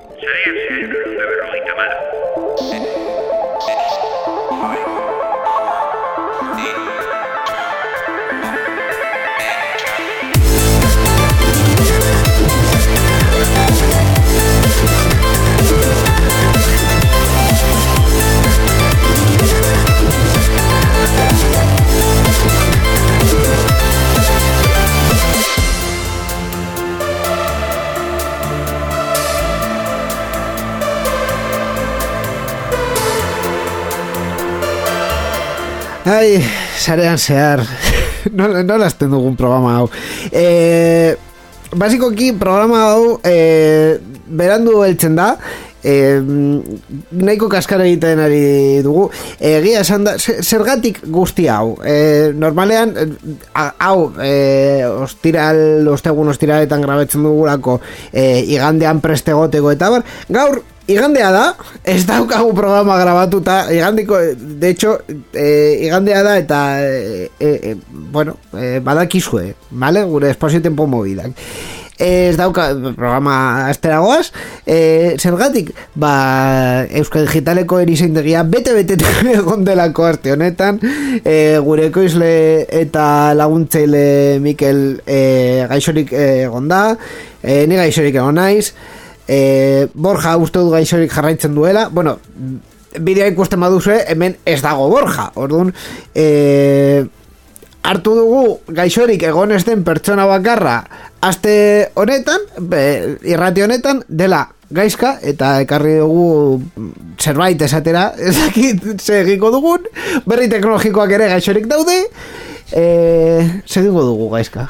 Sarean zehar 954. Ai, sarean zehar nola azten dugun programa hau basikoki programa hau berandu heltzen da nahiko kaskara egiten ari dugu egia esan da zergatik guzti hau normalean hau ostegun ostiraletan grabetzen dugulako igandean preste goteko eta bar gaur igandea da, ez daukagu programa grabatuta, igandiko, de hecho, igandea da eta, bueno, badakizue, vale? Gure espazio tempo movidak. Ez dauka programa asteragoaz, zergatik, Euskal Digitaleko erizeindegia bete egon delako aste honetan, gure ekoizle eta laguntzaile Mikel gaixorik egon da, ni gaixorik egon naiz, Borja uste du gaixorik jarraitzen duela. Bueno, bidea ikusten baduzue, hemen ez dago Borja. Orduan, hartu dugu gaixorik egon ez den pertsona bakarra aste honetan, irrati honetan, dela gaizka, eta ekarri dugu zerbait esatera, ezakit segiko dugun, berri teknologikoak ere gaixorik daude. Segiko dugu gaizka.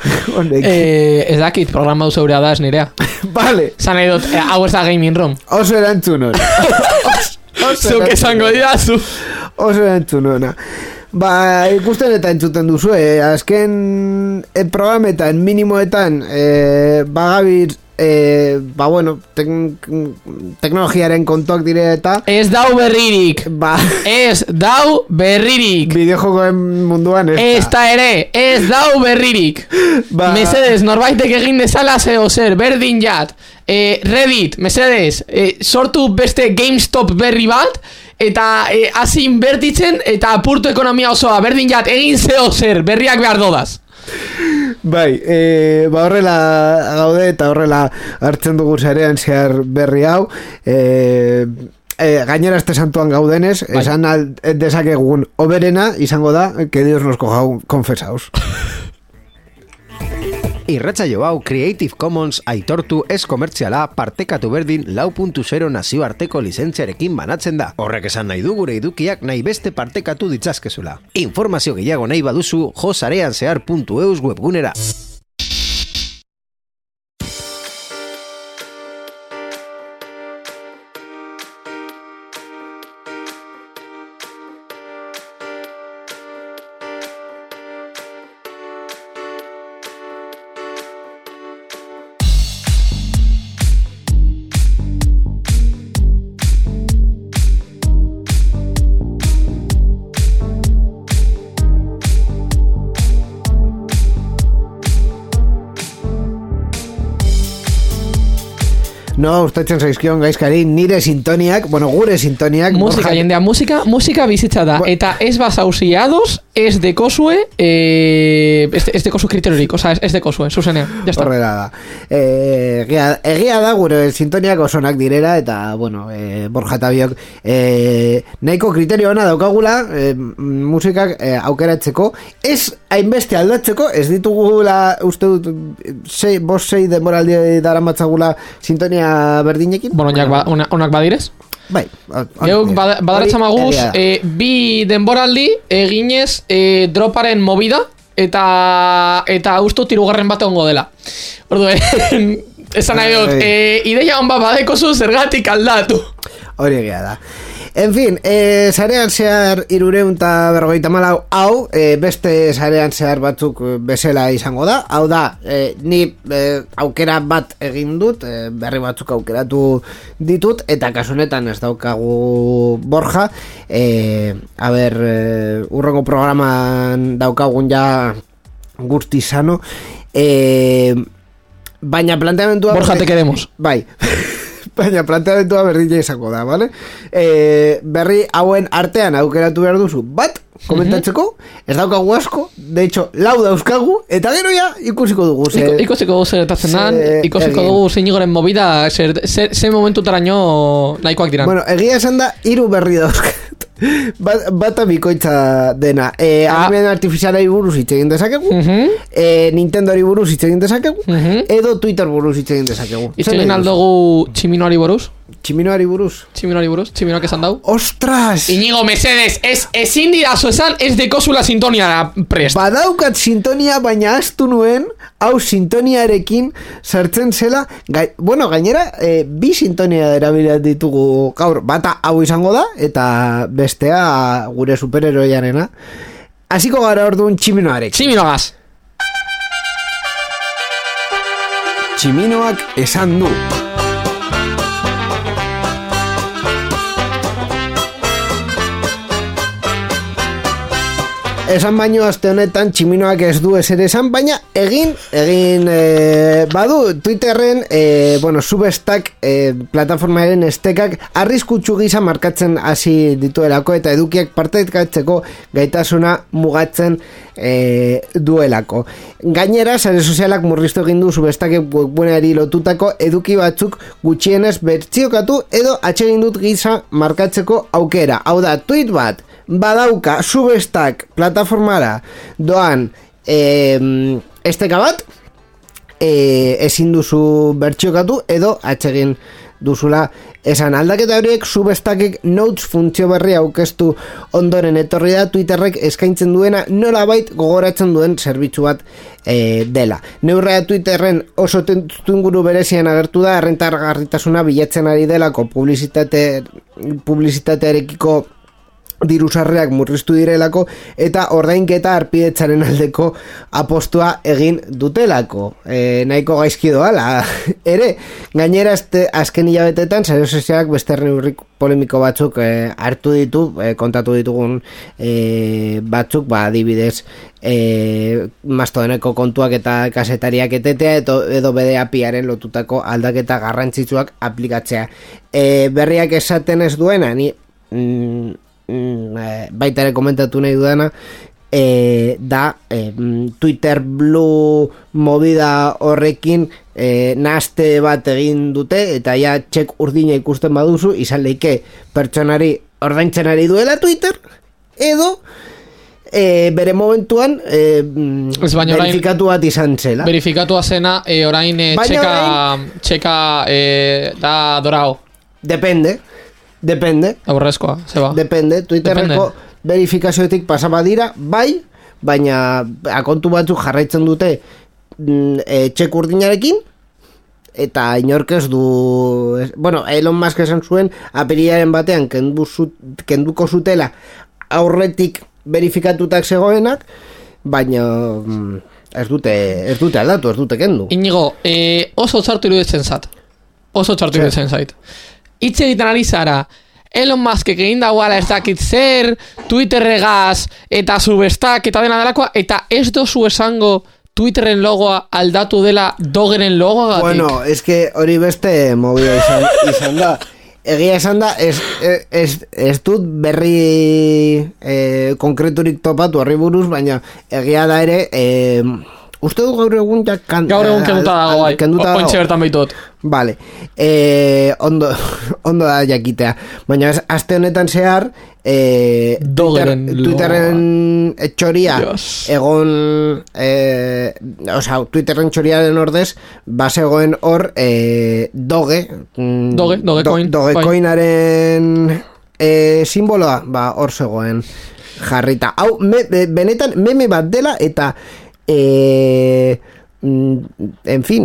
Ez dakit programa duzu eurea da ez nirea. Vale. Zan nahi dut, hau ez da gaming room. Oso erantzun hori. Zuk esango didazu. Oso erantzun hona. Ikusten eta entzuten duzu, azken programetan, minimoetan, bagabit, bueno, teknologiaren kontuak dire eta ez dau berririk. Ez dau berririk. Bideojokoen munduan ez da ere, ez dau berririk. Mesedez, norbaitek egin dezala zeo zer, berdin jat, Reddit, mesedez, sortu beste GameStop berri bat, eta hasi inbertitzen, eta apurtu ekonomia osoa, berdin jat, egin zeo zer, berriak behar dodaz. Bai, horrela gaude eta horrela hartzen dugu zarean zehar berri hau. Gainera este santuan gaudenez, esan dezakegun oberena izango da, que Dios nos coja confesaos. Irratsaio hau Creative Commons aitortu ez komertziala partekatu berdin 4.0 nazioarteko lizentziarekin banatzen da. Horrek esan nahi du gure edukiak nahi beste partekatu ditzazkezula. Informazio gehiago nahi baduzu josareanzehar.eus webgunera. No, gustatzen zaizkion gaizkari nire sintoniak, bueno, gure sintoniak. Musika, jendea, musika bizitza da. Eta ez basausiados, ez dekosue, ez dekosu kriteriorik, oza, ez dekosue, zuzenean, jazta. Horrela da. Egia da gure sintoniak osonak direra, eta, bueno, Borja eta biok, nahiko kriterio ona daukagula, musikak aukeratzeko, ez hainbeste aldatzeko, ez ditugula, uste dut, 5-6 denboraldi daramatzagula sintonia berdinekin. Bueno, onak badirez? Bai. Geuk badaratxamaguz, bi denboraldi eginez droparen movida, eta ustu tirugarren bat ongo dela. Orduen, esan nahi dut, ideia hon badekozu zergatik aldatu. Hori egia da. En fin, sarean zehar 354 hau, beste sarean zehar batzuk bezala izango da. Hau da, ni aukera bat egin dut, berri batzuk aukeratu ditut, eta kasunetan ez daukagu Borja. Urrengo programan daukagun ja guzti sano. Baina planteamentua... Borja, te queremos. Bai. baina planteamentua berdina izango da, vale? Berri hauen artean aukeratu behar duzu bat, komentatzeko, ez daukagu asko, de hecho, lau dauzkagu, eta gero ja ikusiko dugu. Ikusiko dugu zer dan, ikusiko dugu zeinigoren movida, ze momentutaraino nahikoak diran. Bueno, egia esan da, 3 berri dauzkat. Bata bikoitza dena. Ahalmen artifizialari buruz hitz egin dezakegu, Nintendoari buruz hitz egin dezakegu, edo Twitter buruz hitz egin dezakegu. Hitz egin aldugu Tximinoari buruz? Tximinoari buruz? Tximinoak esan dau? Ostras! Inigo, mesedes, ezin didazu esan ez dekozula sintonia prest. Badaukat sintonia, baina astu nuen, hau sintoniarekin sartzen zela, gainera, 2 sintonia erabilat ditugu gaur, bata hau izango da, eta bestea gure superheroiarena. Hasiko gara orduan Tximinoarekin. Tximinoagaz! Tximinoak esan du. Esan baino aste honetan Tximinoak ez du ezer esan, baina egin badu Twitterren Substack plataformaren estekak arriskutsu gisa markatzen hasi dituelako eta edukiak partekatzeko gaitasuna mugatzen duelako. Gainera, sare sozialak murriztu egin du Substack webguneari lotutako eduki batzuk gutxienez bertsiokatu edo atsegin dut gisa markatzeko aukera. Hau da, tweet bat badauka Substack plataformara doan esteka bat, ezin duzu bertsiokatu edo atsegin duzula esan. Aldaketa horiek Substackek Notes funtzio berri aurkeztu ondoren etorri da Twitterrek eskaintzen duena nolabait gogoratzen duen zerbitzu bat dela. Neurrea Twitterren oso testuinguru berezian agertu da, errentagarritasuna bilatzen ari delako publizitatearekiko dirusarreak murriztu direlako eta ordainketa arpidetzaren aldeko apostua egin dutelako. Nahiko gaizki doala. Ere, gainera azken hilabetetan sare sozialak beste neurri polemiko batzuk hartu ditu, kontatu ditugun batzuk, adibidez Mastodoneko kontuak eta kasetariak etetea edo BDAPiaren lotutako aldaketa garrantzitsuak aplikatzea. Berriak esaten ez duena, ni baita ere komentatu nahi dudana, da Twitter Blue movida horrekin nahaste bat egin dute eta ja txek urdina ikusten baduzu izan leike pertsonari ordaintzen ari duela Twitter edo bere momentuan verifikatu bat izan zela. Verifikatua zena orain txeka da dorao. Depende. Aurrezkoa, zeba. Depende. Twitterreko verifikazioetik pasaba dira, bai, baina akontu batzuk jarraitzen dute txek urdinarekin, eta inork ez du... Elon Musk esan zuen, apirilaren batean kenduko zutela aurretik verifikatutak zegoenak, baina ez dute aldatu, ez dute kendu. Inigo, oso txartu iruditzen zait. Hitz egiten ari zara, Elon Muskek egin dagoala ez dakit zer, Twitterregaz eta Substack eta dena delakoa, eta ez dozu esango Twitterren logoa aldatu dela Dogeren logoa gatik? Bueno, es que hori beste movida izan da. Egia esan da, ez dut berri konkreturik topatu horri buruz, baina egia da ere... Uste du gaur egun gaur egun kenduta dago, bai. Ointxe bertan behitot. Vale. Ondo da jakitea. Baina aste honetan zehar Twitterren txoria egon Twitterren txoriaren ordez basegoen hor Dogecoinaren simboloa hor zegoen jarrita. Hau benetan meme bat dela eta en fin,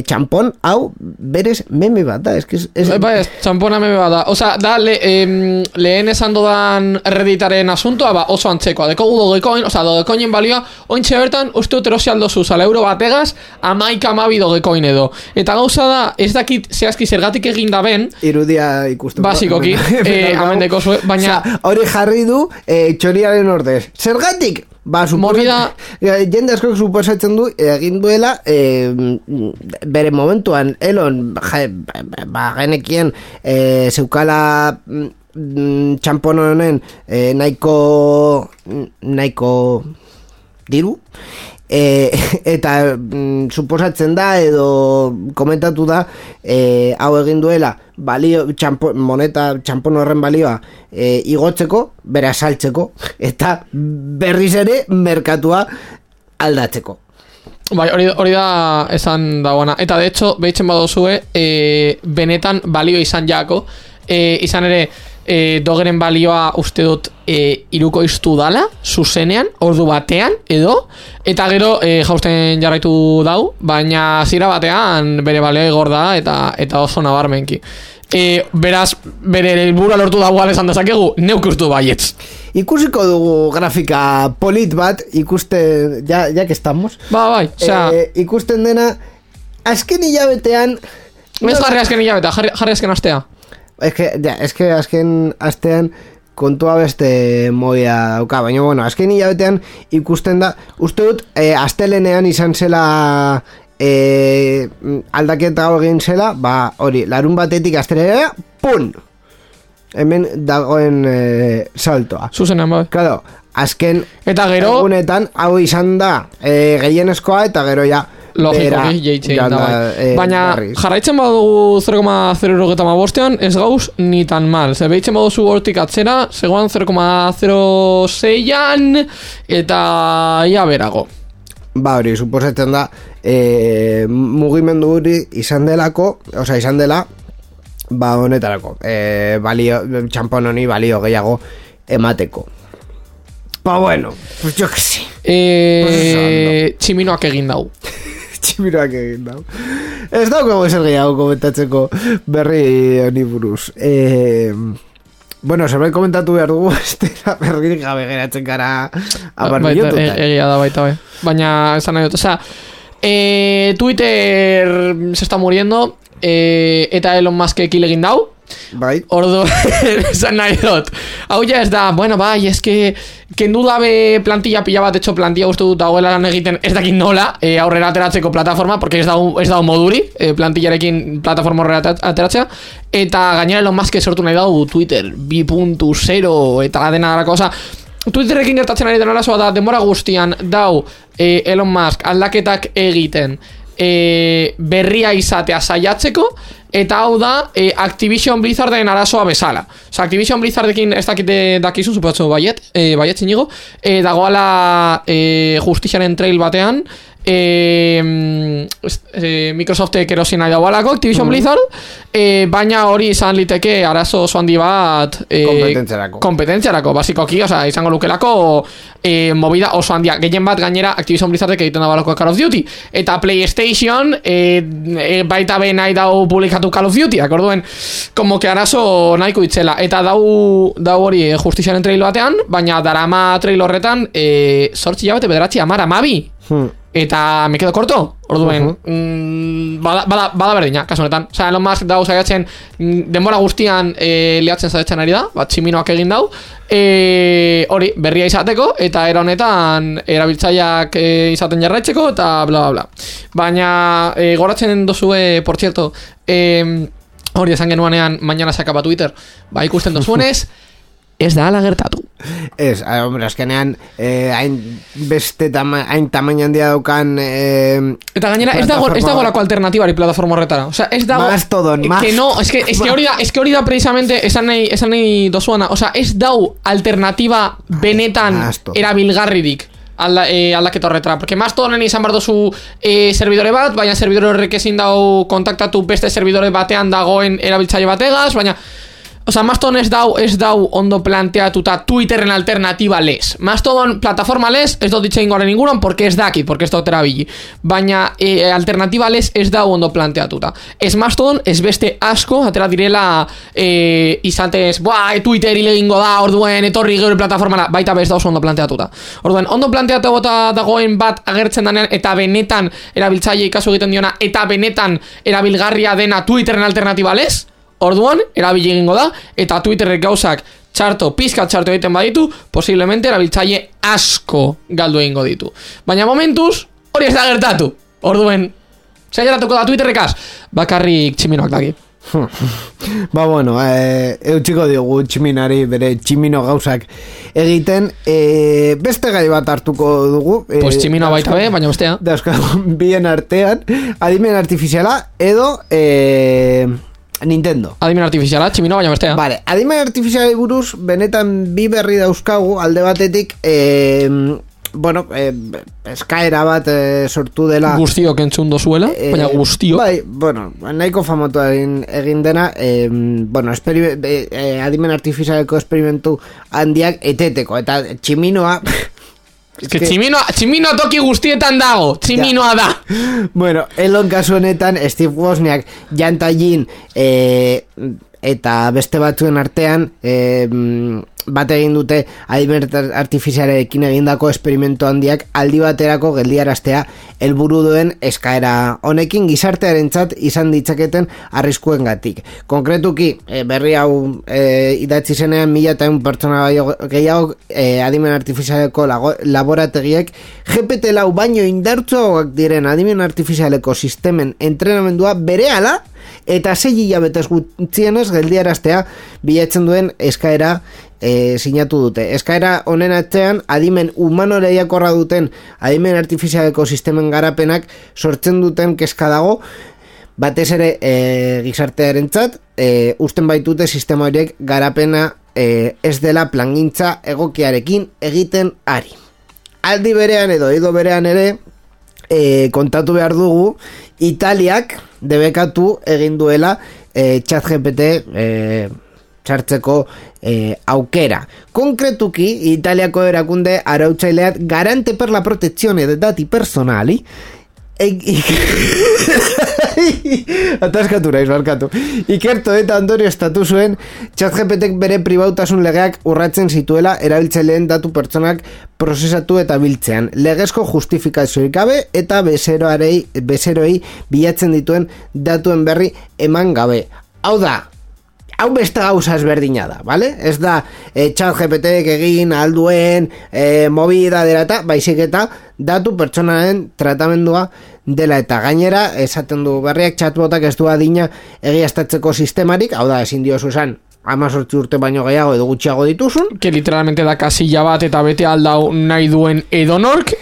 txampon hau berez meme bat da, txampona meme bat da, oza, da lehen esan dodan Redditaren asuntoa, oso antzekoa, dekogu Dogecoin, oza, Dogecoinen balioa ointxe bertan, uste dut erosi aldo zuz, ala euro bategaz, 11 Dogecoin edo, eta gauza da, ez dakit zehazki zergatik egin da ben, irudia ikusten basikoki, amendeko zuen, baina hori jarri du txoriaren ordez, zergatik? jende askok suposatzen du egin duela bere momentuan Elon genekien zeukala txampon honen nahiko diru eta suposatzen da edo komentatu da hau egin duela balio txampon horren balioa igotzeko, bera saltzeko eta berriz ere merkatua aldatzeko. Bai, hori da esan dagoena. Eta de hecho, behitzen badozue benetan balio izan jako izan ere dogeren balioa uste dut iruko iztu dala, zuzenean, ordu batean, edo, eta gero jausten jarraitu dau, baina zira batean bere balioa igor da, eta oso nabarmenki. Beraz, bere helburua lortu dagoa esan dezakegu, neuk ustu baietz. Ikusiko dugu grafika polit bat, ikusten, ya que estamos. Bai, osea... ikusten dena, azken hilabetean... Ez jarri azken hilabetea, jarri azken astea. Es que azken astean kontua beste moia dauka, baina bueno, azken hilabetean ikusten da, uste dut astelenean izan zela aldaketa egin zela, hori, larun batetik astelenean, pun! Hemen dagoen saltoa. Zuzenean, bai. Claro, azken eta gero egunetan hau izan da gehienezkoa eta gero ja logikoki jeitzein da bai. Baina jarraitzen badugu 0,075 ez gauz ni tan mal. Ze behitzen baduzu hortik atzera, zegoan 0,06an eta ia berago. Hori, suposatzen da mugimendu hori izan delako, osea izan dela honetarako balio, txampon honi balio gehiago emateko. Bueno, pues yo que sé. Tximinoak egin dau. Tximinoak egin dau. Ez daukago ezer gehiago komentatzeko berri honi buruz. Bueno, zerbait komentatu behar dugu, berririk gabe geratzen gara abar minutu. Egia da baita, bai. Baina, esan nahi dut, osea, Twitter se está muriendo, eta Elon Musk ekil egin dau. Bai. Ordu, esan nahi dut. Hau ja ez da, bueno, bai, eske kendu dabe plantilla pila bat, etxo plantilla uste dut dagoela lan egiten ez dakit nola aurrera ateratzeko plataforma, porque ez dago moduri plantillarekin plataforma aurrera ateratzea, eta gainera Elon Musk sortu nahi dau Twitter 2.0 eta dena dara cosa. Twitterrekin gertatzen ari den arazoa da, denbora guztian dau Elon Musk aldaketak egiten berria izatea saiatzeko, eta hau da Activision Blizzarden arazoa bezala. Osa, Activision Blizzardekin ez dakite dakizu, supatzu baiet zinigo, dagoala justiziaren trail batean Microsoftek erosi nahi dagoalako Activision Blizzard, baina hori izan liteke arazo oso handi bat kompetentziarako, basikoki, oza, izango lukelako movida oso handia, gehien bat gainera Activision Blizzardek egiten dagoalako Call of Duty, eta PlayStation baita be nahi dau publikatu Call of Duty, akorduen, como que arazo nahiko itzela, eta dau hori justiziaren trail batean, baina darama trail horretan 8 hilabete 9 10 eta me quedo corto, orduen bada berdina, kasu honetan. Osea, Elon Musk dau saiatzen denbora guztian liatzen saiatzen ari da, tximinoak egin dau, hori berria izateko, eta era honetan erabiltzaileak izaten jarraitzeko, eta bla bla bla. Baina goratzen dozue, por cierto, hori esan genuanean mañana se acaba Twitter, ikusten dozuenez, ez da ala gertatu. Ez, hombre, azkenean hain beste hain tamaina handia daukan eta gainera ez dago lako alternatibari plataforma horretara. O sea, ez dago Mastodon, que no, es que hori da precisamente esan nahi dozuana. O sea, ez dau alternativa benetan erabilgarririk aldaketa horretara, porque Mastodonen izan bar dozu servidore bat, baina servidore horrek ezin dau kontaktatu beste servidore batean dagoen erabiltzaile bategaz, baina Osa, Mastodon ez dau ondo planteatuta Twitterren alternatiba les. Mastodon plataforma les, ez dut ditzein goren inguruan, porque ez dakit, porque ez dut erabili. Baina alternatiba les ez dau ondo planteatuta. Ez Mastodon, ez beste asko, atera direla izatez, Twitter hilegingo da, orduen etorri geure plataformara, baita bez da oso ondo planteatuta. Orduen, ondo planteatuta dagoen bat agertzen danean, eta benetan erabiltzaile ikasu egiten diona, eta benetan erabilgarria dena Twitterren alternatiba les, orduan, erabili egingo da, eta Twitterrek gauzak pizkat txarto egiten baditu, posiblemente erabiltzaile asko galdu egingo ditu. Baina momentuz, hori ez da gertatu. Orduen, gertatuko da Twitterrekaz, bakarrik tximinoak daki. Ba bueno, eutxiko diogu tximinari bere tximino gauzak egiten, beste gai bat hartuko dugu, pues tximinoa baita be, baina bestea bien artean, adimen artifiziala edo Nintendo. Adimen artifiziala, tximinoa baina bestea. Vale, adimen artifiziala buruz benetan bi berri dauzkagu, alde batetik bueno, eskaera bat sortu dela guztiok entzun dozuela, baina guztiok bai, bueno, nahiko famotua egin dena bueno, adimen artifizialeko esperimentu handiak eteteko, eta tximinoa tximinoa toki guztietan dago, tximinoa da. Bueno, elon kasu honetan Steve Wozniak jantajin eta beste batzuen artean bat egin dute adimen artifizialekin egindako esperimentu handiak aldi baterako geldiaraztea helburu duen eskaera honekin gizartearentzat izan ditzaketen arriskuengatik. Konkretuki berri hau idatzi zenean 1.100 pertsona gehiago adimen artifizialeko laborategiek GPT-4 baino indartsuagoak diren adimen artifizialeko sistemen entrenamendua berehala eta 6 hilabetez gutxienez geldiaraztea bilatzen duen eskaera sinatu dute. Eskaera honen atzean adimen humanoreiakorra duten adimen artifizialeko sistemen garapenak sortzen duten kezka dago, batez ere gizartearentzat usten baitute sistema horiek garapena ez dela plangintza egokiarekin egiten ari. Aldi berean edo berean ere kontatu behar dugu Italiak debekatu egin duela ChatGPT txartzeko aukera. Konkretuki, Italiako erakunde arautzaileak garante per la protezione de dati personali ataskatu naiz, barkatu. Ikerto eta ondorio estatu zuen ChatGPTek bere pribautasun legeak urratzen zituela erabiltzaileen datu pertsonak prozesatu eta biltzean. Legezko justifikazioik gabe eta bezeroei bilatzen dituen datuen berri eman gabe. Hau da, hau beste gauza ezberdina da, vale? Ez da ChatGPTek egin alduen movida dela eta baizik eta datu pertsonaren tratamendua dela eta gainera esaten du berriak chatbotak ez du adina egiaztatzeko sistemarik, hau da ezin diozu esan 18 urte baino gehiago edo gutxiago dituzun, que literalmente da kasilla bat eta bete aldau nahi duen edonork,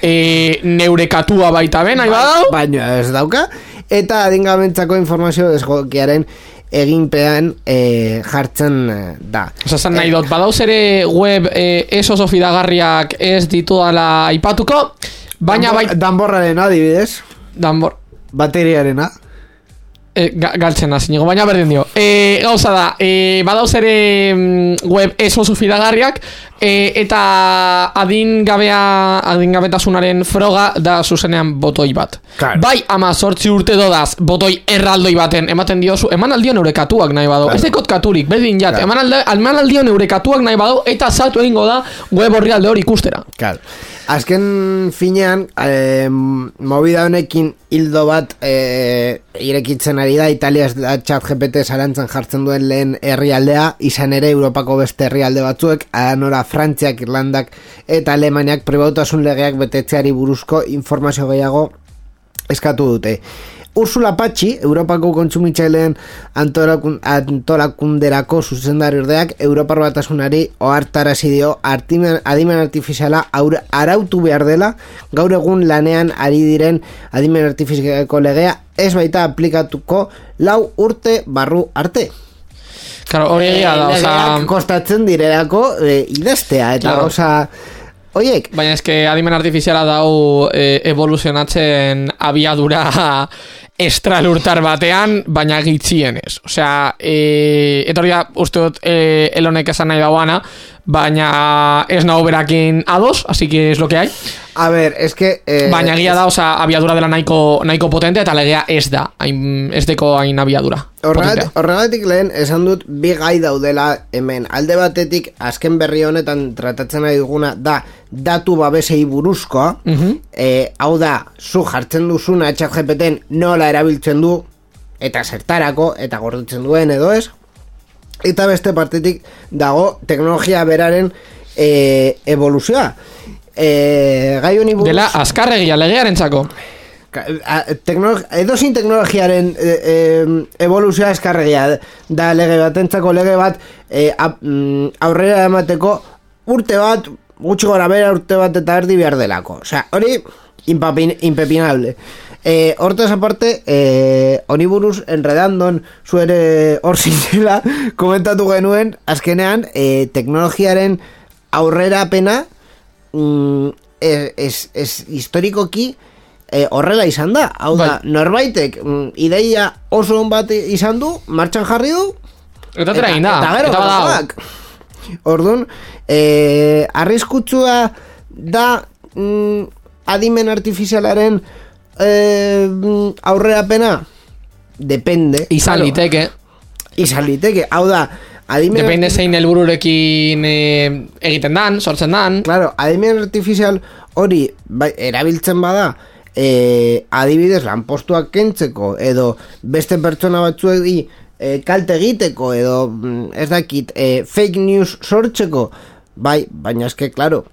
neurekatua baita ben, nahi badau, baina ez dauka, eta adingamentzako informazio desgokiaren eginpean jartzen da. Osa, nahi dut, badauz ere web oso fidagarriak ez ditu dala aipatuko, baina danborraren adibidez, bateriarena, galtzena zinego, baina berdin dio. Gauza da, badauz ere web oso fidagarriak, eta adingabetasunaren froga da zuzenean botoi bat. Claro. Bai, 18 urte dodaz botoi erraldoi baten ematen diozu, eman aldion eurekatuak nahi badu, claro. Ez dekot katurik, berdin jat, claro. eman aldion eurekatuak nahi badu, eta saltu egingo da web horri alde hori ikustera. Claro. Azken finean, movida honekin hildo bat irekitzen ari da, Italia ChatGPT zalantzan jartzen duen lehen herrialdea, izan ere Europako beste herrialde batzuek, anora Frantziak, Irlandak eta Alemaniak pribautasun legeak betetzeari buruzko informazio gehiago eskatu dute. Ursula Patxi, Europako kontsumitzaileen antolakunderako zuzendariordeak Europar Batasunari ohartarazi dio adimen artifiziala arautu behar dela gaur egun lanean ari diren adimen artifizialeko legea ez baita aplikatuko 4 urte barru arte. Claro, hori egia da, oza... kostatzen direlako idaztea, eta claro. Oza... Oiek. Baina eske adimen artifiziala dau evoluzionatzen abiadura estralurtar batean, baina gitzienez. Osea, etorria uste dut elonek esan nahi dauana, baina ez nago berakin ados, así que es lo que hay. A ver, es que... baina egia da, osea, abiadura dela nahiko potente, eta legea ez da, ez deko hain abiadura. Horregatik lehen esan dut bi gai daudela hemen. Alde batetik, azken berri honetan tratatzen nahi duguna da datu babesei buruzkoa, hau da, zu jartzen duzuna ChatGPTen nola erabiltzen du, eta zertarako, eta gordetzen duen edo ez. eta beste partetik dago teknologia beraren evoluzioa. Gai honi buruz... Dela, azkarregia legearen txako. Edozin teknologiaren evoluzioa eskarregia da lege batentzako lege bat aurrera emateko urte bat, gutxi gora bera urte bat eta erdi behar delako. Osea, hori impepinable. Hortaz aparte, honi buruz enredandon zuere hor zintzela komentatu genuen, azkenean teknologiaren aurrera pena historikoki horrela izan da. Hau da, norbaitek ideia oso on bat izan du, martxan jarri du, eta tera egin da. Eta gero, orduan, arriskutsua da adimen artifizialaren aurrerapena? Depende. Izan liteke. Hau da, depende zein helbururekin egiten dan, sortzen dan. Claro, adimen artifizial hori erabiltzen bada, adibidez lanpostuak kentzeko edo beste pertsona batzuei kalte egiteko edo ez dakit fake news sortzeko, baina eske claro,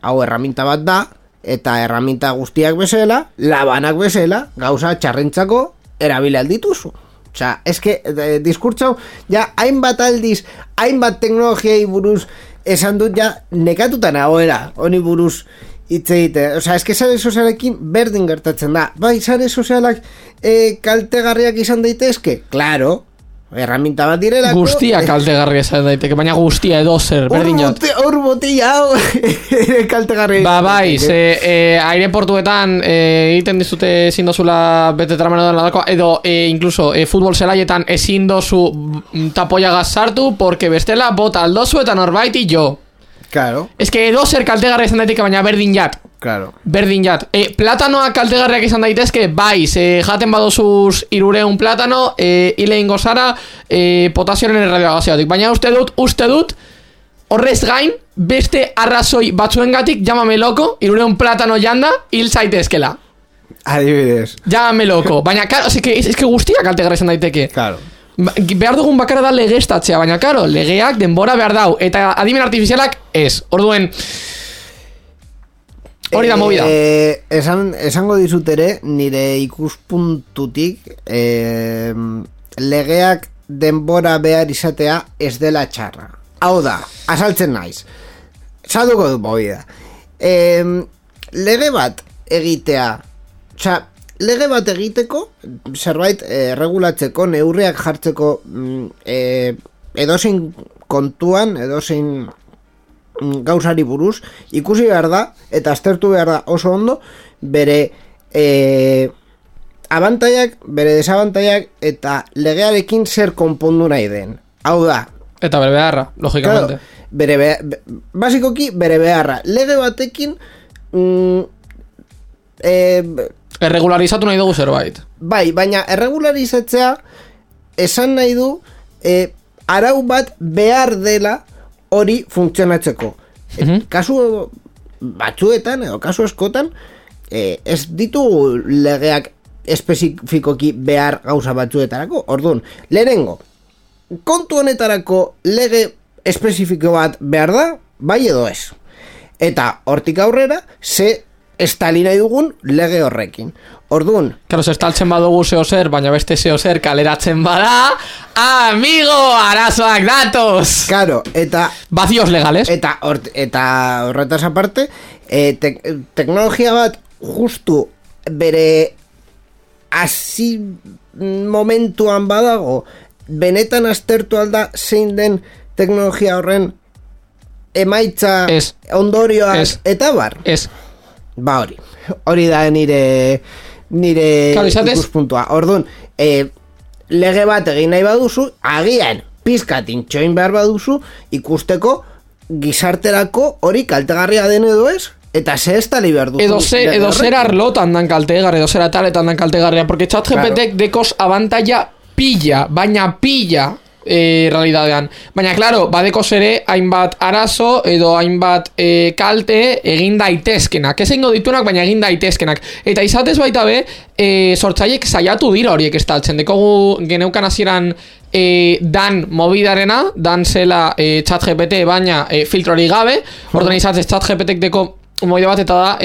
hau herramienta bat da eta herramienta guztiak bezala, labanak bezala, gauza txarrentzako erabili aldituzu. Osea, eske diskurtso ja hainbat aldiz, hainbat teknologiei buruz esan dut ja nekatuta nagoela, honi buruz hitz egite. Osea, eske sare sozialekin berdin gertatzen da. Bai, sare sozialak kaltegarriak izan daitezke? Claro, herramienta bat direlako. Guztia kaltegarria izan daiteke, baina guztia edo zer, berdin jat. Hor botilla hau kaltegarria. Bai, aireportuetan egiten dizute ezin dozula bete tramena dako, edo incluso futbol zelaietan ezin dozu tapoiagaz sartu, porque bestela bota aldozu eta norbaiti jo. Claro. Ez que edo zer kaltegarria izan daiteke, baina berdin jat. Claro. Berdin jat. Platanoak kaltegarriak izan daitezke, bai, jaten badozuz 300 platano, hile ingo zara potasioaren erradiogazioatik. Baina uste dut, horrez gain, beste arrazoi batzuengatik, llámame loko, 300 platano janda, hil zaitezkela. Adibidez. Llámame loko. Baina, claro, es que guztiak kaltegarria izan daiteke. Claro. Behar dugun bakarra da legeztatzea, baina karo, legeak denbora behar dau, eta adimen artifizialak ez. Orduen, hori da movida. Esango dizut ere, nire ikuspuntutik, legeak denbora behar izatea ez dela txarra. Hau da, azaltzen naiz. Salduko du movida. Lege bat egitea, osea, lege bat egiteko, zerbait regulatzeko, neurriak jartzeko edozein kontuan, edozein gauzari buruz, ikusi behar da, eta aztertu behar da oso ondo, bere abantaiak, bere desabantaiak, eta legearekin zer konpondu nahi den. Hau da. Eta bere beharra, logikamente. Claro, basikoki, bere beharra. Lege batekin erregularizatu nahi dugu zerbait. Bai, baina erregularizatzea esan nahi du arau bat behar dela hori funtzionatzeko. Kasu batzuetan edo kasu askotan ez ditugu legeak espezifikoki behar gauza batzuetarako. Orduan, lehenengo, kontu honetarako lege espezifiko bat behar da, bai edo ez. Eta hortik aurrera, estali nahi dugun lege horrekin. Orduan, claro, se estaltzen badugu zeo zer, baina beste zeo zer kaleratzen bada, amigo, arazoak datoz. Claro, eta vacíos legales. Eta horretaz aparte, teknologia bat justu bere hasi momentuan badago, benetan aztertu alda zein den teknologia horren emaitza, ondorioak, eta bar. Ez. Ba hori da nire ikuspuntua. Orduan, lege bat egin nahi baduzu, agian pizkat intxoin behar baduzu, ikusteko gizarterako hori kaltegarria den edo ez, eta ze estali behar duzu. Edo zer arlotan dan kaltegarria, edo zer ataletan dan kaltegarria, porque ChatGPT dekos abantaia pilla, baina pilla realidadean. Baina, claro, badeko zere hainbat arazo edo hainbat kalte egin daitezkenak. Ez egingo dituenak, baina egin daitezkenak. Eta izatez baita be, sortzaiek saiatu dira horiek estaltzen. Dekogu geneukan hasieran dan mobidarena, dan zela ChatGPT baina filtrori gabe, orduan izatzez ChatGPTek deko moide bat eta da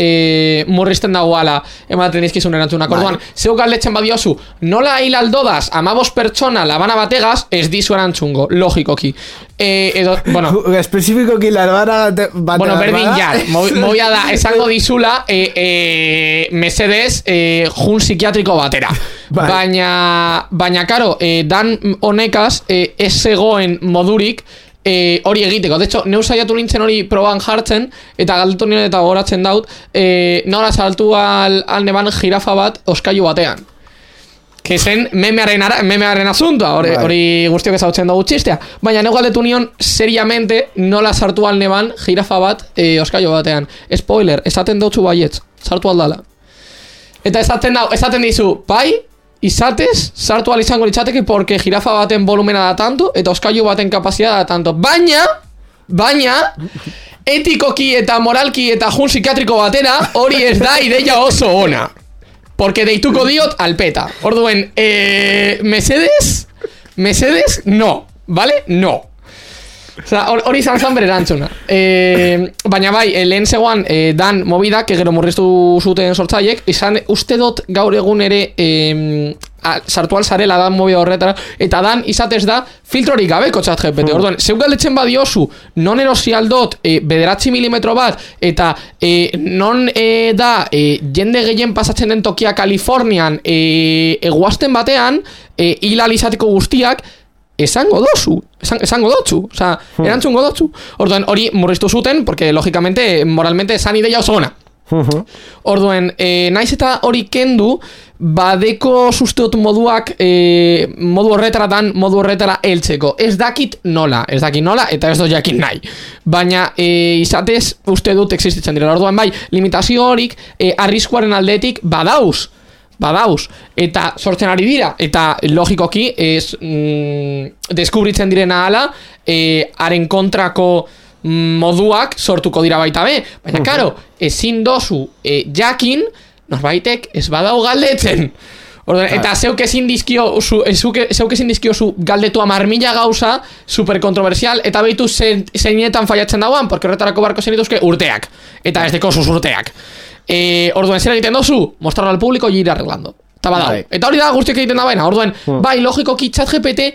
murrizten dagoala ematen dizkizun erantzunak. Orduan, zeu galdetzen badiozu, nola hil aldodaz 15 pertsona labana bategaz, ez dizu erantzungo, logikoki. Edo, bueno, espezifikoki labana bategaz. Bueno, berdin jar, movia da, esango dizula, mesedez, jun psikiatriko batera. Baina, karo, dan honekaz, ez zegoen modurik, hori egiteko. De hecho, neu saiatu nintzen hori proban jartzen, eta galdetu nire eta goratzen daut, nola saltu al neban jirafa bat oskailu batean. Que zen memearen asuntoa, hori guztiok ezautzen dugu txistea. Baina neu galdetu nion, seriamente, nola sartu al neban jirafa bat oskailu batean. Spoiler, esaten dautzu baietz, sartu aldala. Eta esaten dizu, bai, izatez, sartu izango litzateke porque jirafa baten volumena da tanto eta oskailu baten kapazitatea da tanto. Baina, etikoki eta moralki eta jun psikiatriko batera hori ez da ideia oso ona. Porque deituko diot alpeta. Orduen, mesedes, no. ¿Vale? No. Osa, hori izan zan bere erantzuna. Baina bai, lehen zegoan dan mobidak, gero murriztu zuten sortzaiek, izan uste dut gaur egun ere sartu alzarela dan mobida horretara, eta dan izatez da filtrorik gabeko ChatGPT. Orduan, zeu galdetzen badiozu, non erosi aldot 9 milimetro bat, eta non da jende gehien pasatzen den tokia Kalifornian eguazten batean, hilal izateko guztiak, esango dotzu, osea, erantzungo dotzu. Orduan, hori murriztu zuten, porque logicamente, moralmente, esan ideia oso ona. Orduan, naiz eta hori kendu, badeko susteot moduak modu horretara heltzeko. Ez dakit nola, eta ez dut jakin nahi. Baina, izatez, uste dut existitzen dira. Orduan, bai, limitazio horik, arriskuaren aldetik badauz, eta sortzen ari dira, eta logikoki deskubritzen direna ala, haren kontrako moduak sortuko dira baita be, baina karo, ezin dozu jakin, norbaitek ez badau galdetzen. Eta zeuk ezin dizkiozu galdetu 10.000 gauza super kontroversial, eta behitu zeinetan faiatzen dauan, porque horretarako barko zenituzke urteak, eta ez deko sus urteak. Orduan, zer egiten dozu? Mostrarlo al público y ir arreglando. Eta hori da guztiak egiten da baina. Orduan, bai, logikoki ChatGPT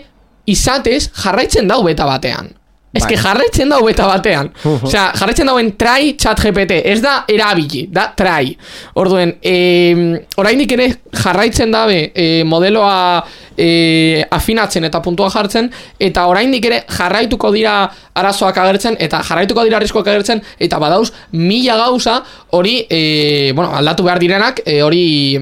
izatez jarraitzen dau beta batean. Ez que jarraitzen dau beta batean. Osea, jarraitzen dauen try ChatGPT. Ez da erabili, da try. Orduen, orainik ere jarraitzen dabe modeloa afinatzen eta puntua jartzen, eta oraindik ere jarraituko dira arazoak agertzen, eta jarraituko dira arriskoak agertzen, eta badauz 1000 gauza hori aldatu behar direnak, hori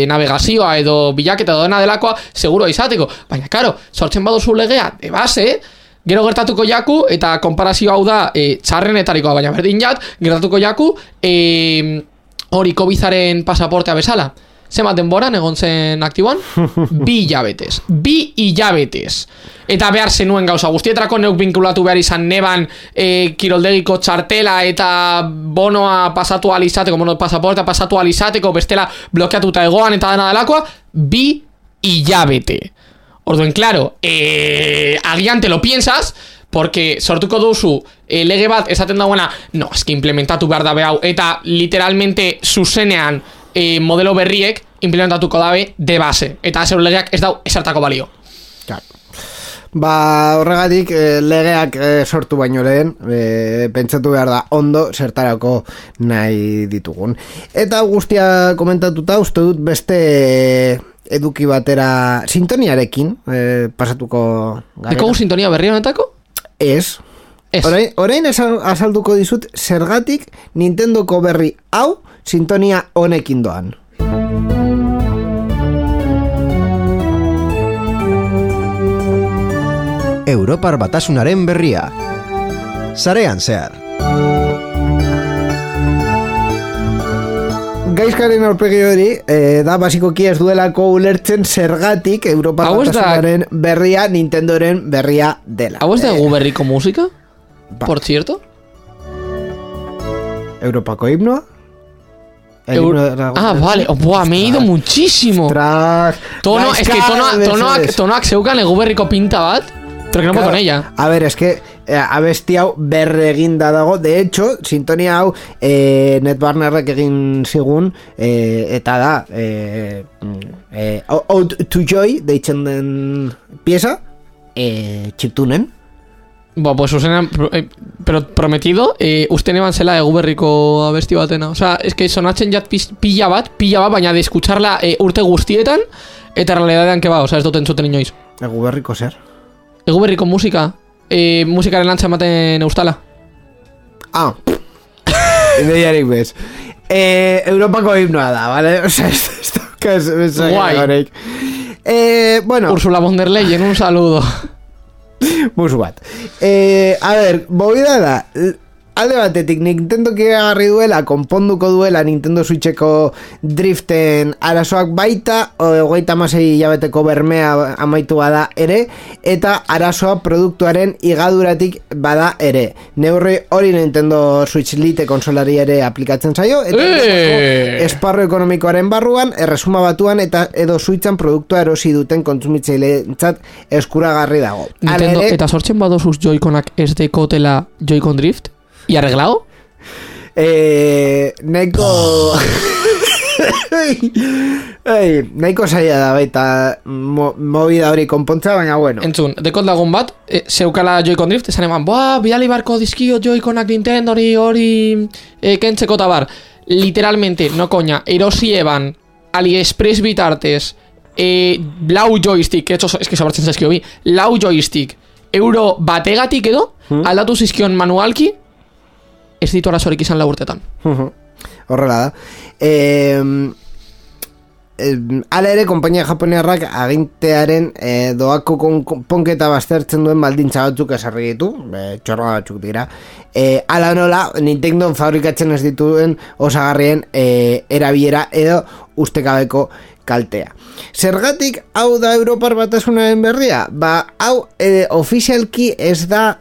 navegazioa edo bilaketa edo dena delakoa seguro izateko. Baina, karo, sortzen baduzu legea de base, gero gertatuko jaku, eta konparazio hau da txarrenetarikoa, baina berdin jat, gertatuko jaku hori COVID-aren pasaportea bezala. Zenbat denboran egon zen aktiboan? 2 hilabetez. 2 hilabetez. Eta behar zenuen gauza guztietrako neuk binkulatu behar izan neban kiroldegiko txartela eta bonoa pasatu alizateko, pasaportea pasatu alizateko, bestela blokeatuta egoan eta dena delakoa, 2 hilabete. Orduen, claro, agian te lo piensas, porque sortuko duzu lege bat esaten dagoena, no, eski implementatu behar dabe hau, eta literalmente zuzenean modelo berriek implementatuko dabe de base, eta zeur legeak ez dau esartako balio. Horregatik legeak sortu baino lehen pentsatu behar da ondo zertarako nahi ditugun. Eta guztia komentatuta uste dut beste eduki batera sintoniarekin pasatuko garela. Eko sintonia berri honetako? Ez. Orain azalduko dizut zergatik Nintendoko berri hau sintonia honekin doan. Europar Batasunaren berria. Sarean zehar. Gaizkaren aurpegi hori da basikoki ez duelako ulertzen zergatik Europar Batasunaren berria Nintendoren berria dela. ¿Hau ez da gu berriko musika? Por cierto? Europako himnoa? Vale. Buah, me he ido muchísimo. Es que tonoak zeukan eguberriko pinta bat, pero que no puedo con ella. A ver, es que abesti hau berreginda dago. De hecho, sintonia hau Netbarnerrek egin zigun, eta da Ode to Joy deitzen den pieza, chiptunen. Bueno, pues Susana, pero prometido, uste neban zela eguberriko abesti batena. O sea, es que sonatzen jat pilla bat, baina de escucharla urte guztietan, eta realidadean que va, o sea, ez duten zuten inoiz. Eguberriko zer? Eguberriko musika, musikaren lantza ematen eustala. Ideiarik bez. Europako himnoa da, ¿vale? O sea, esto es guay. Bueno, Ursula von der Leyen, un saludo. Musu bat. A ver, movida da. Alde batetik, Nintendo agarri duela, konponduko duela Nintendo Switcheko driften arazoak baita, 36 hilabeteko bermea amaitu bada ere, eta arazoa produktuaren igaduratik bada ere. Neurri hori Nintendo Switch Lite konsolari ere aplikatzen zaio, eta esparro ekonomikoaren barruan, erresuma batuan eta edo Switchan produktua erosi duten kontsumitzaileentzat eskuragarri dago. Nintendo, eta sortzen badozuz Joy-Conak ez dekotela Joy-Con Drift? ¿Y arreglado? Nahiko nahiko zaila da baita movida hori konpontza, baina bueno. Entzun, dekot lagun bat, zeukala Joy-Con Drift, esan eman, bidali barko dizkio Joy-Conak Nintendo hori kentzeko tabar. Literalmente, no coña, erosi eban AliExpress bitartez, lau joystick, es que sobratzen zaizkio bi, lau joystick, euro bategatik edo, aldatu zizkion manualki, ez ditu arazorik izan lau urtetan. Horrela da. Hala ere, konpainia japoniarrak agintearen doako konponketa baztertzen duen baldintza batzuk esarri ditu, txorra batzuk dira. Hala nola, Nintendo fabrikatzen ez dituen osagarrien erabilera edo ustekabeko kaltea. Zergatik hau da Europar Batasunaren berria? Hau ofizialki ez da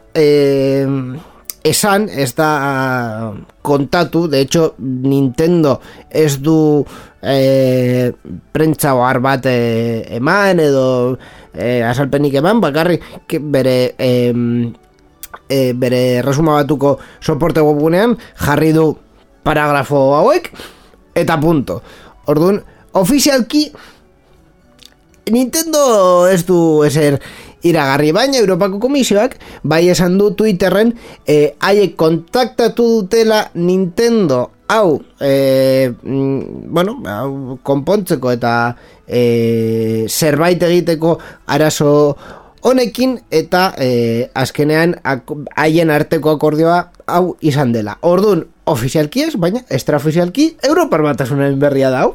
esan, ez da kontatu. De hecho, Nintendo ez du prentza ohar bat eman edo azalpenik eman, bakarrik bere resuma batuko soporte webgunean jarri du paragrafo hauek eta punto. Orduan, ofizialki Nintendo ez du ezer iragarri, baina Europako Komisioak bai esan du Twitterren haiek kontaktatu dutela Nintendo hau hau konpontzeko eta zerbait egiteko arazo honekin, eta azkenean haien arteko akordioa hau izan dela. Orduan, ofizialki ez, baina extraofizialki Europar Batasunaren berria da hau.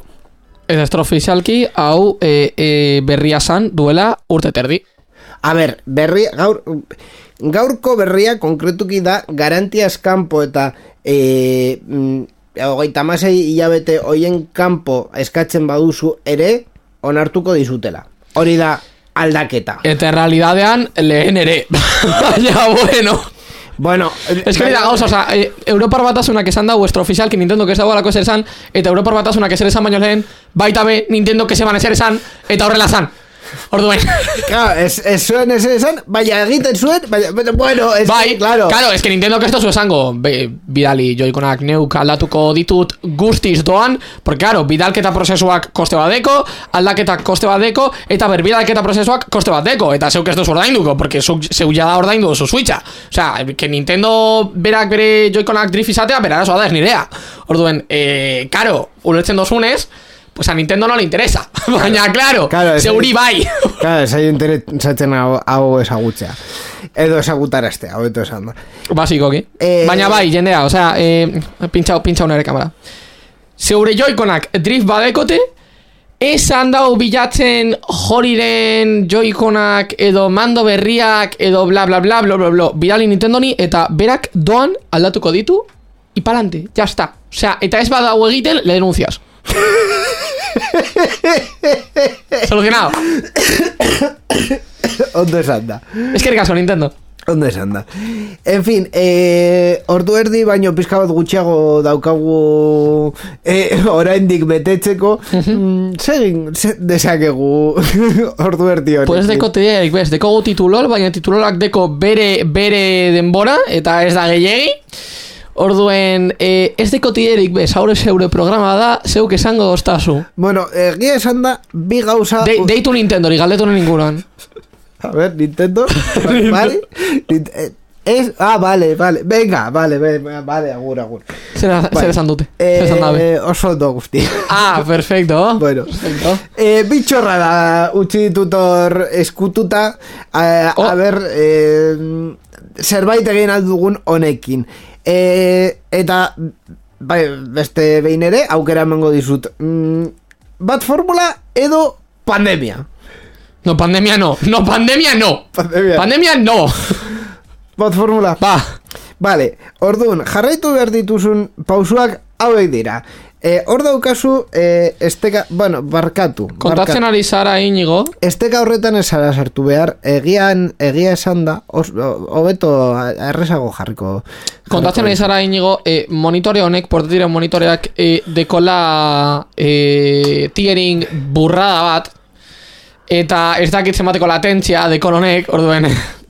Eta extraofizialki hau berria zan duela urte terdi. A ber, gaurko berria konkretuki da garantiaz kanpo eta 36 hilabete hoien kanpo eskatzen baduzu ere onartuko dizutela. Hori da aldaketa. Eta realidadean lehen ere. Baina, bueno, es que da gauza, o sea, Europar Batasunak esan da vuestro oficial que Nintendo que ez dagoelako eser esan, eta Europar Batasunak eser esan baino lehen, baita be Nintendo que seban eser esan, eta horrela zan. Orduen. Claro, ez zuen ez esan, baina egiten zuen, bueno, es bai, claro. Claro, es que Nintendo que esto zu esango, bidali Joy-Conak neuk aldatuko ditut guztiz doan, porque claro, bidalketa prozesuak koste bat deko, aldaketa koste bat deko, eta bidalketa prozesuak koste bat deko, eta zeuk ez duzu ordainduko, porque zeu ja da ordaindu duzu Switcha. O sea, que Nintendo berak bere Joy-Conak drift izatea, bera arazoa da ez nirea. Orduen, claro, ulertzen dozunez, pues a Nintendo no le interesa. Baina, claro, zeuri bai. Claro, ez hain interesatzen hau ezagutzea. Edo ezagutaraztea, hau eto esan da. Basikoki. Baina bai, jendea, o sea, pintxau nere kamera. Zeure Joy-Conak drift badekote, esan dau bilatzen joriren Joy-Conak edo mando berriak edo bla bla bla bla bla bla. Bidali Nintendoni eta berak doan aldatuko ditu y palante, ya está. O sea, eta ez badau egiten, le denuncias. Solucionado. Ondo esan da. Es que caso, Nintendo. Ondo esan da. En fin, ordu erdi baino pizka bat gutxiago daukagu oraindik betetzeko. Segin dezakegu ordu erdi honekin. Pues deko tiderik, bez, dekogu titulol, baina titulolak deko bere denbora, eta ez da gehiegi. Orduen, ez deko tiderik, bez, haure zeure programa da, zeuk esango doztazu. Bueno, egia esan da, bi gauza... Deitu Nintendori, galdetu ninguran. A ver, Nintendo, ¿vale? Vale, venga, vale, agur. Zer esan dute, zer esan dabe. Oso ondo guzti. Perfecto. Bueno, perfecto. Bitxorra da, utzi ditutor eskututa, a ver, zerbait egin aldugun honekin. Eta, bai, beste behin ere, aukera emango dizut. Bat formula edo pandemia. No, pandemia no. Pandemia no. Bat formula. Ba. Vale, orduan, jarraitu behar dituzun pausuak hauek dira. Hor daukazu, barkatu. Kontatzen ari zara, Inigo. Esteka horretan ez zara sartu behar, egia esan da, hobeto errezago jarriko. Kontatzen ari zara, Inigo, monitore honek, portatiren monitoreak, dekola tiering burrada bat, eta ez dakit zemateko latentzia dekon honek, orduen.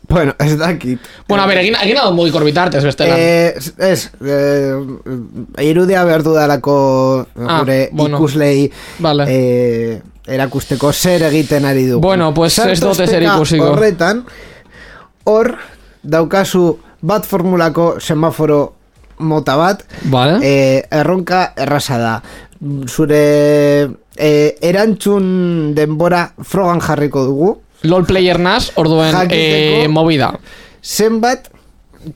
Bueno, ez dakit. Bueno, a ver, egin hau mogikor bitartez, bestelan. Irudia behar dudalako gure ikuslei vale. Erakusteko zer egiten ari dugu. Bueno, pues ez dote zer ikusiko. Horretan, hor daukazu bat formulako semaforo mota bat, vale. Erronka erraza da. Zure erantzun denbora frogan jarriko dugu. LOL player nas, orduen movida. Zenbat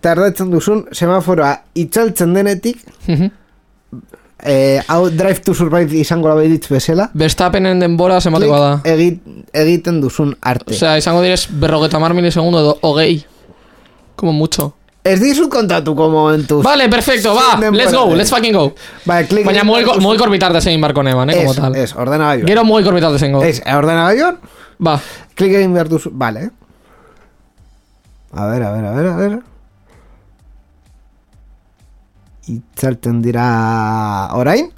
tardatzen duzun semaforoa itzaltzen denetik, hau Drive to Survive izango la behitz bezala. Verstappenen denbora zenbateko da. Egiten duzun arte. Osea, izango direz 50 milisegundu edo hogei. Como mucho. Ez dizut kontatuko momentuz. Vale, perfecto, va, let's fucking go. Baina mugikor bitartez egin barko neban, como tal. Ez, ordenagailuan. Gero mugikor bitartez egin go. Ez, ordenagailuan? Va. Klik egin behar duzu, vale. A ver. Itzalten dira orain.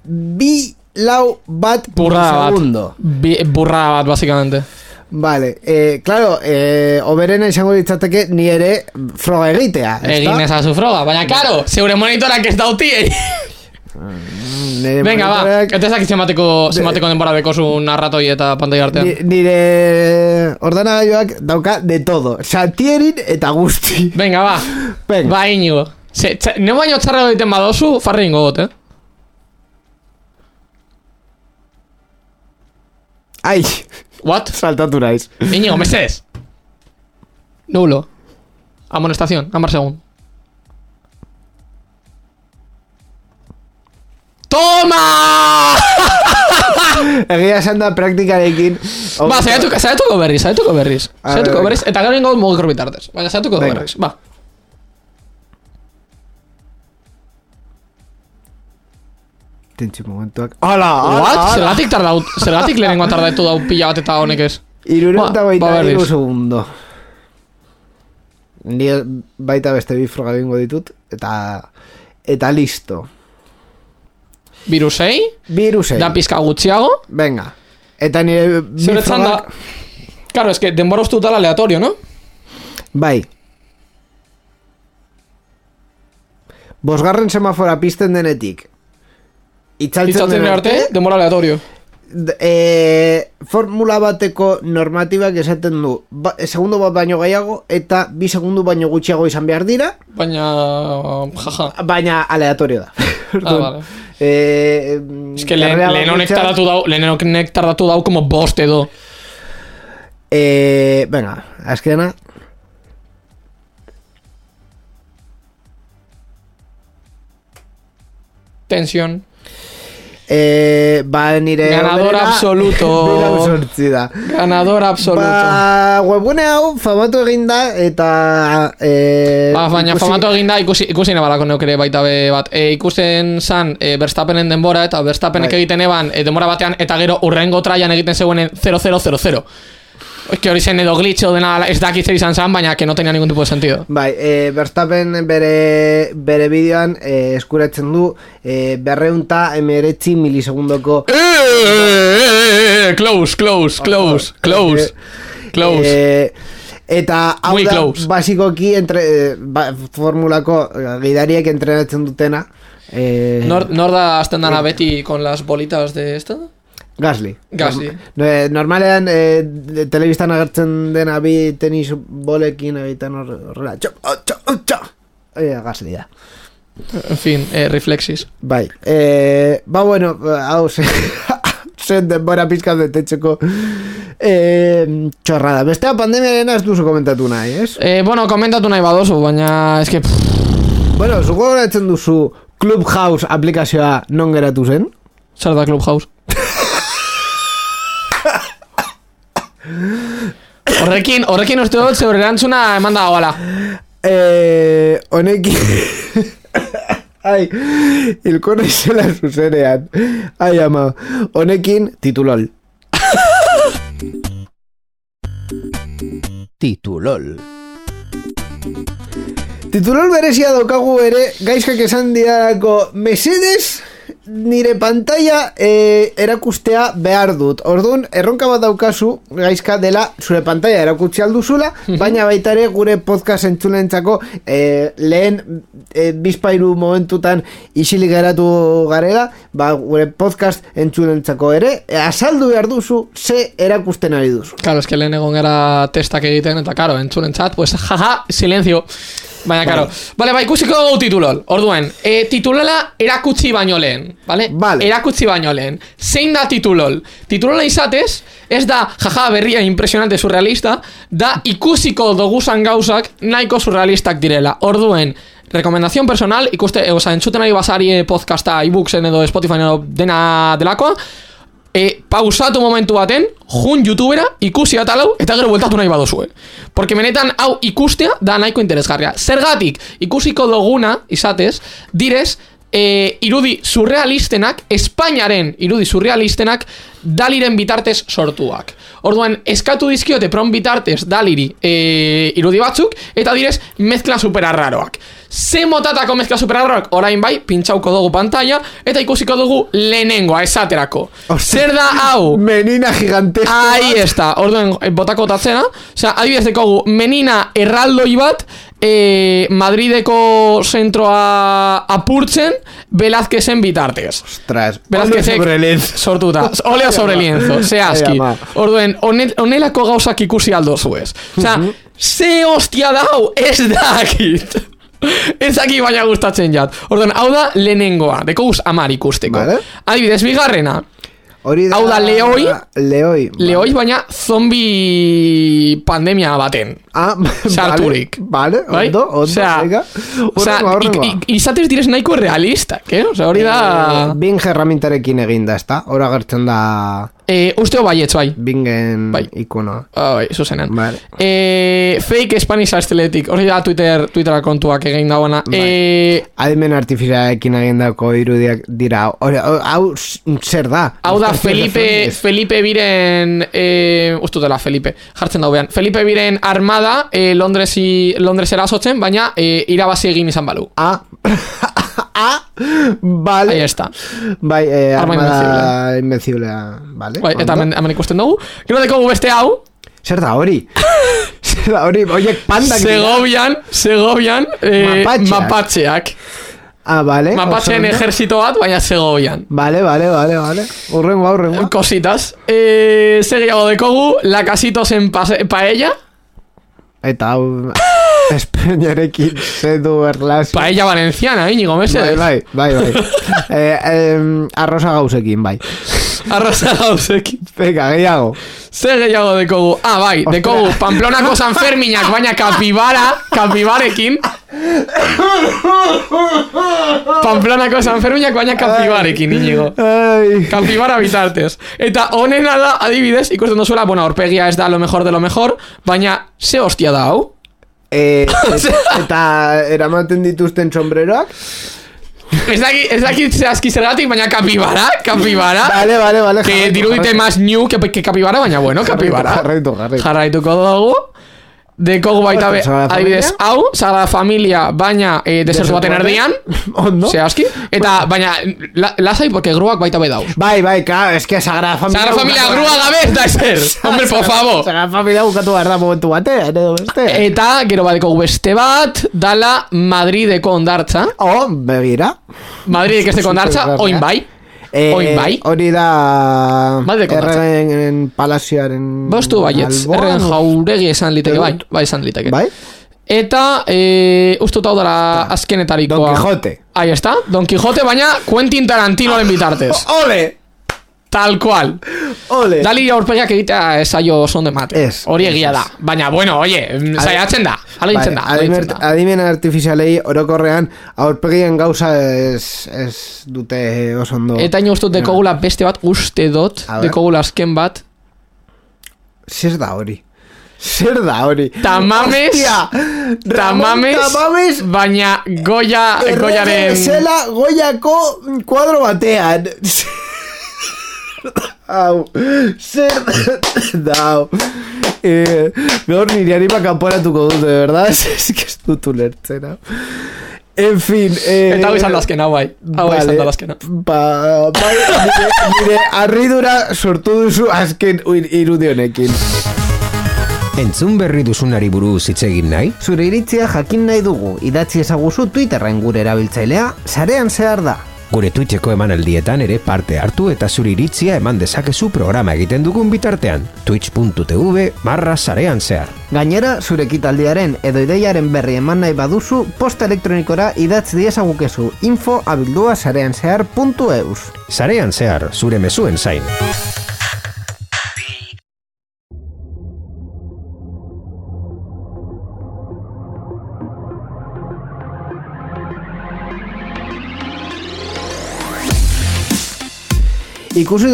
2-4 bat segundo. Burrada bat, básicamente. Vale, claro, oberena izango ditzateke ni ere froga egitea. Egin ezazu froga, baina karo, zeure monitorak ez dautiei. Venga, va, eta ezak zemateko denbora dekozu narratoi eta pantai artean. Nire ordenagailuak dauka de todo, Santierin eta guzti. Venga, va, ba, Inigo. Ne baino txarra egiten badozu, farri ingo got, Ai, what? Saltatu naiz. Inigo, mesedes. Nulo. Amonestación, amar segun. Toma! Egia esan da praktikarekin. Ba, zaiatuko berriz. Eta gero ingo mugikor bitartez. Baina zaiatuko berriz, ba. Tentsi momentuak. Hala! What? Zergatik lehenengoa tardatu dau pila bat eta honek ez? 2 segundo. Ni baita beste bi froga egingo ditut. Eta listo. Virusei? Da pizka gutxiago? Venga. Eta nire Zeretzan da. Claro, es que denbora uste dutala aleatorio, no? Bai. Bosgarren semafora pizten denetik itzaltzen den arte, denbora aleatorio. Formula bateko normatibak esaten du segundo bat baino gehiago eta 2 segundu baino gutxiago izan behar dira. Baina aleatorio da. Vale. Es que lehenek tardatu dau como bost edo. Venga, azkena. Tensión. Ba, nire ganador absoluto. Ganador absoluto. Ba, webune hau famatu eginda eta baina famatu eginda ikusi nebalako neuk ere baita bat. Ikusten zan Verstappenen denbora eta Verstappenek egiten eban denbora batean eta gero urrengo traian egiten zegoen 0-0-0-0. que hori zen edo glitcho dena ez dakit zer izan zen, baina que no tenía ningún tipo de sentido. Bai, Verstappen bere bideoan eskuratzen du 219 milisegundoko Close. Eta hau da basikoki formulako gidariek entrenatzen dutena. Nor da azten dana beti con las bolitas de esta? Gasly. Normalean telebistan agertzen dena bi tenis bolekin egiten horrela. Gasly da. En fin, reflexis. Bai. Bueno, hau zen denbora pizkat betetxeko txorrada. Bestea pandemiaren ez duzu komentatu nahi, ez? Bueno, komentatu nahi badozu, baina eske... Bueno, zuko goratzen duzu Clubhouse aplikazioa non geratu zen? Zer da Clubhouse? Horrekin uste dut zeure erantzuna eman da goala. Honekin... Ai, hilko naizela zuzenean. Ai, ama. Honekin, titulol. Titulol berezia daukagu ere, gaizkak esan diarako, mesedes nire pantalla erakustea behar dut. Orduan, erronka bat daukazu, gaizka dela zure pantalla erakutsi alduzula, baina baita ere gure podcast entzulentzako lehen bizpairu momentutan isilik geratu garela, gure podcast entzulentzako ere, azaldu behar duzu ze erakusten ari duzu. Claro, es que lehen egon gara testak egiten, eta karo, entzulentzat, pues jaja, silencio. Baina, karo. Vale, ikusiko dugu titulol. Orduen, titulola erakutsi baino lehen. Vale? Erakutsi baino lehen. Zein da titulol? Titulola izatez, ez da jaja berria impresionante surrealista, da ikusiko doguzan gauzak nahiko surrealistak direla. Orduen, rekomendazion personal, entzuten ari basari podcasta, iBooksen edo Spotify edo dena delakoa, pausatu momentu baten, jun youtubera, ikusi atalau, eta gero bueltatu nahi badozue. Porque benetan hau ikustea da nahiko interesgarria. Zergatik, ikusiko duguna, izatez, direz, irudi surrealistenak, Espainiaren irudi surrealistenak, Daliren bitartez sortuak. Orduan, eskatu dizkiote pron bitartez Daliri irudi batzuk, eta direz, mezkla superarraroak. Ze motatako mezkla superarraroak, orain bai, pintxauko dugu pantalla, eta ikusiko dugu lehenengoa, esaterako. Zer da hau? Menina gigantesco. Ahí está. Orduan, botako tatzena. Osea, adibidez dekogu, menina erraldoi bat, Madrideko zentroa apurtzen, Velázquezen bitartez. Ostras, óleo sobre lienzo. Sortuta, óleo sobre lienzo, zehazki. Orduen, onelako gauzak ikusi aldo zuez. Osea, ze hostia dau, ez dakit. Ez aki baina gustatzen jat. Orduen, hau da lehenengoa, dekoguz 10 ikusteko. Adibidez, bigarrena. Hau da Leoi, baina zombi pandemia baten. Sarturik. Vale, ondo. Izatez direz nahiko realistak, hori da... Bing herramientarekin eginda, ez da? Hora gertzen da... Usteo baietz, bai. Bingen ikonoa. Bai, zuzenean. Fake Spanish Aesthetic, hori da Twittera kontuak egin dagoena. Adimen artifizialekin egindako irudiak dira. Hau zer da? Hau da Felipe biren... Ustutela, Felipe. Jartzen daubean. Felipe biren armada Londresera azotzen, baina irabazi egin izan balu. Vale. Ahí está. Bai, armada invenciblea. Vale. Bai, eta hemen ikusten dugu. Gero dekogu beste hau. Zer da hori? Oiek pandak Segovian mapatxeak. Vale. Mapatxeen ejerzito bat, baina Segovian. Vale. Urrengo. Cositas. Segiago dekogu, la casitos en paella. Eta hau... Espainiarekin zedu erlazio. Paella valenciana, Íñigo Mesedes. Bai. Arroza gauzekin, bai. Arroza gauzekin. Venga, gehiago. Ze gehiago dekogu. Bai, dekogu Pamplonako Sanferminak, baina kapibarekin. Pamplonako Sanferminak, baina kapibarekin, Íñigo. Kapibara bitartez. Eta honena da, adibidez, ikusten dozuela, aurpegia ez da lo mejor de lo mejor, baina ze hostia da hau? Eta eramaten dituzten sombreroak? Ez dakit zehazki zergatik, baina kapibara. Vale. Que dirudite más new que kapibara, baina bueno, kapibara. Jarraituko dugu. Dekogu baita be, adibidez, hau, Sagrada Familia, baina desertu baten erdian. Ondo. Zehazki. Eta, baina, lasai, porque gruak baita be dauz. Bai, claro, es que Sagrada Familia... Sagrada Familia grua gabe ez da ezer. Hombre, por favor. Sagrada Familia bukatu behar da momentu batean, edo beste. Eta, gero badekogu beste bat, dala Madrideko ondartza. Begira. Madridek esteko ondartza, oin bai. Oin bai. Hori da... Erregen palazioaren... Bostu baietz, erregen jauregi esan liteke, bai esan liteke. Bai? Eta, ustuta hau dara azkenetarikoa. Don Quijote. Ahí está, Don Quijote, baina Quentin Tarantinoren bitartez. Ole! Tal cual. Ole. Dali aurpegiak egitea esaio son de mate. Hori egia da. Baina, bueno, oye, saiatzen da. Alegintzen da. Adimen artifizialei orokorrean aurpegien gauza ez dute oso ondo. Eta ino ustut dekogula beste bat, uste dot, dekogula azken bat. Zer da hori? Tamames, baina Goyaren... Zela Goyako kuadro batean. Hau, zer dau. Gaur niri anima kanporatuko dute, verdad? Es que ez dut ulertzen. En fin, eta hau izan dazkena, bai. Hau izan dazkena. Nire arridura sortu duzu azken irudionekin. Entzun berri duzunari buruz hitz egin nahi? Zure iritzia jakin nahi dugu. Idatzi ezaguzu Twitterren gure erabiltzailea, sarean zehar da. Gure Twitcheko emanaldietan ere parte hartu eta zure iritzia eman dezakezu programa egiten dugun bitartean. twitch.tv/sarean zehar. Gainera, zure ekitaldiaren edo ideiaren berri eman nahi baduzu, posta elektronikora idatz diezagukezu info@sareanzehar.eus. Sarean zehar, zure mezuen zain. Ikusi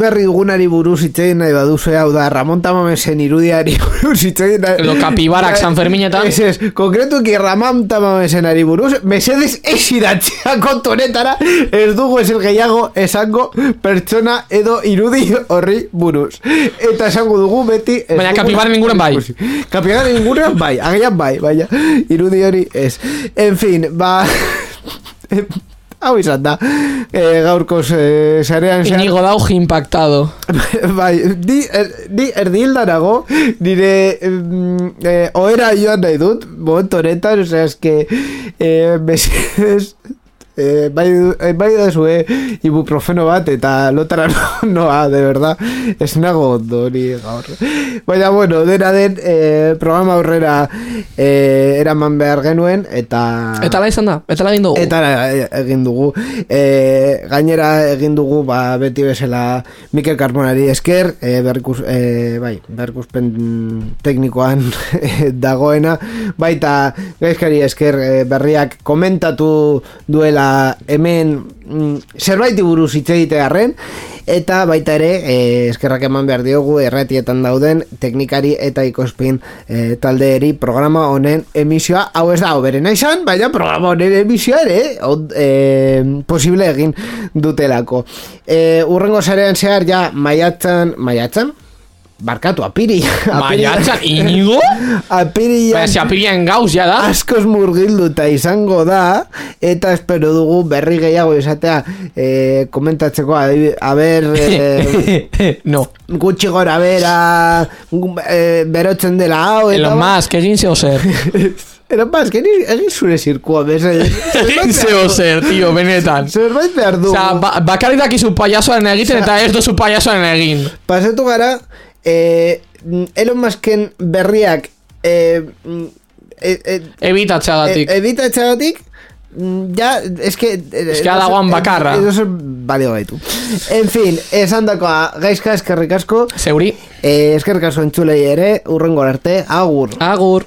berri dugunari buruz hitzein nahi baduzu, hau da, Ramon Tamamesen irudiari buruz hitzein nahi... Edo kapibarak San Ferminetan. Ez, konkretuki Ramon Tamamesenari buruz, mesedes esidatzea kontonetara, ez dugu ezer gehiago esango pertsona edo irudi horri buruz. Eta esango dugu beti... Baina kapibaren inguren bai. Kapibaren inguren bai, agian bai, baina irudi hori ez. En fin, hau izan da, gaurkoz sarean zehar... Inigo dauj impactado. Bai, ni erdildarago, nire ohera joan nahi dut, momentu honetan, osea, eske, bai da zue ibuprofeno bat eta lotara noa, de verdad, ez nago ondo hori gaur. Baina, bueno, dena den programa aurrera eraman behar genuen, eta la izan da, eta la egin dugu. Eta egin dugu. Gainera egin dugu, beti bezala Mikel Carmonari esker, berrikuspen teknikoan dagoena, baita gaizkari esker berriak komentatu duela hemen zerbait buruz hitz egitearren, eta baita ere eskerrak eman behar diogu erratietan dauden teknikari eta ikospin taldeeri programa honen emisioa, hau ez da oberena izan, baina programa honen emisioa ere posible egin dutelako. Urrengo sarean zehar ja maiatzan? Barkatu, Maiatzan, Inigo? Apirian gauz, ja da. Askoz murgilduta izango da, eta espero dugu berri gehiago izatea komentatzeko, no. Gutxi gora bera, berotzen dela hau. Elon Musk, egin zeo zer. Elon Musk, egin zure zirkua, egin zeo zer, tio, benetan. Zerbait behar dugu. Osa, bakaritak izu payasoaren egiten eta ez dozu payasoaren egin. Pasetu gara, Elon Musken berriak ebitatxagatik ja, eske dagoan bakarra edo balio gaitu. En fin, esan dakoa gaizka eskerrik asko zeuri, eskerrik asko entzulei ere, urrengo arte, agur.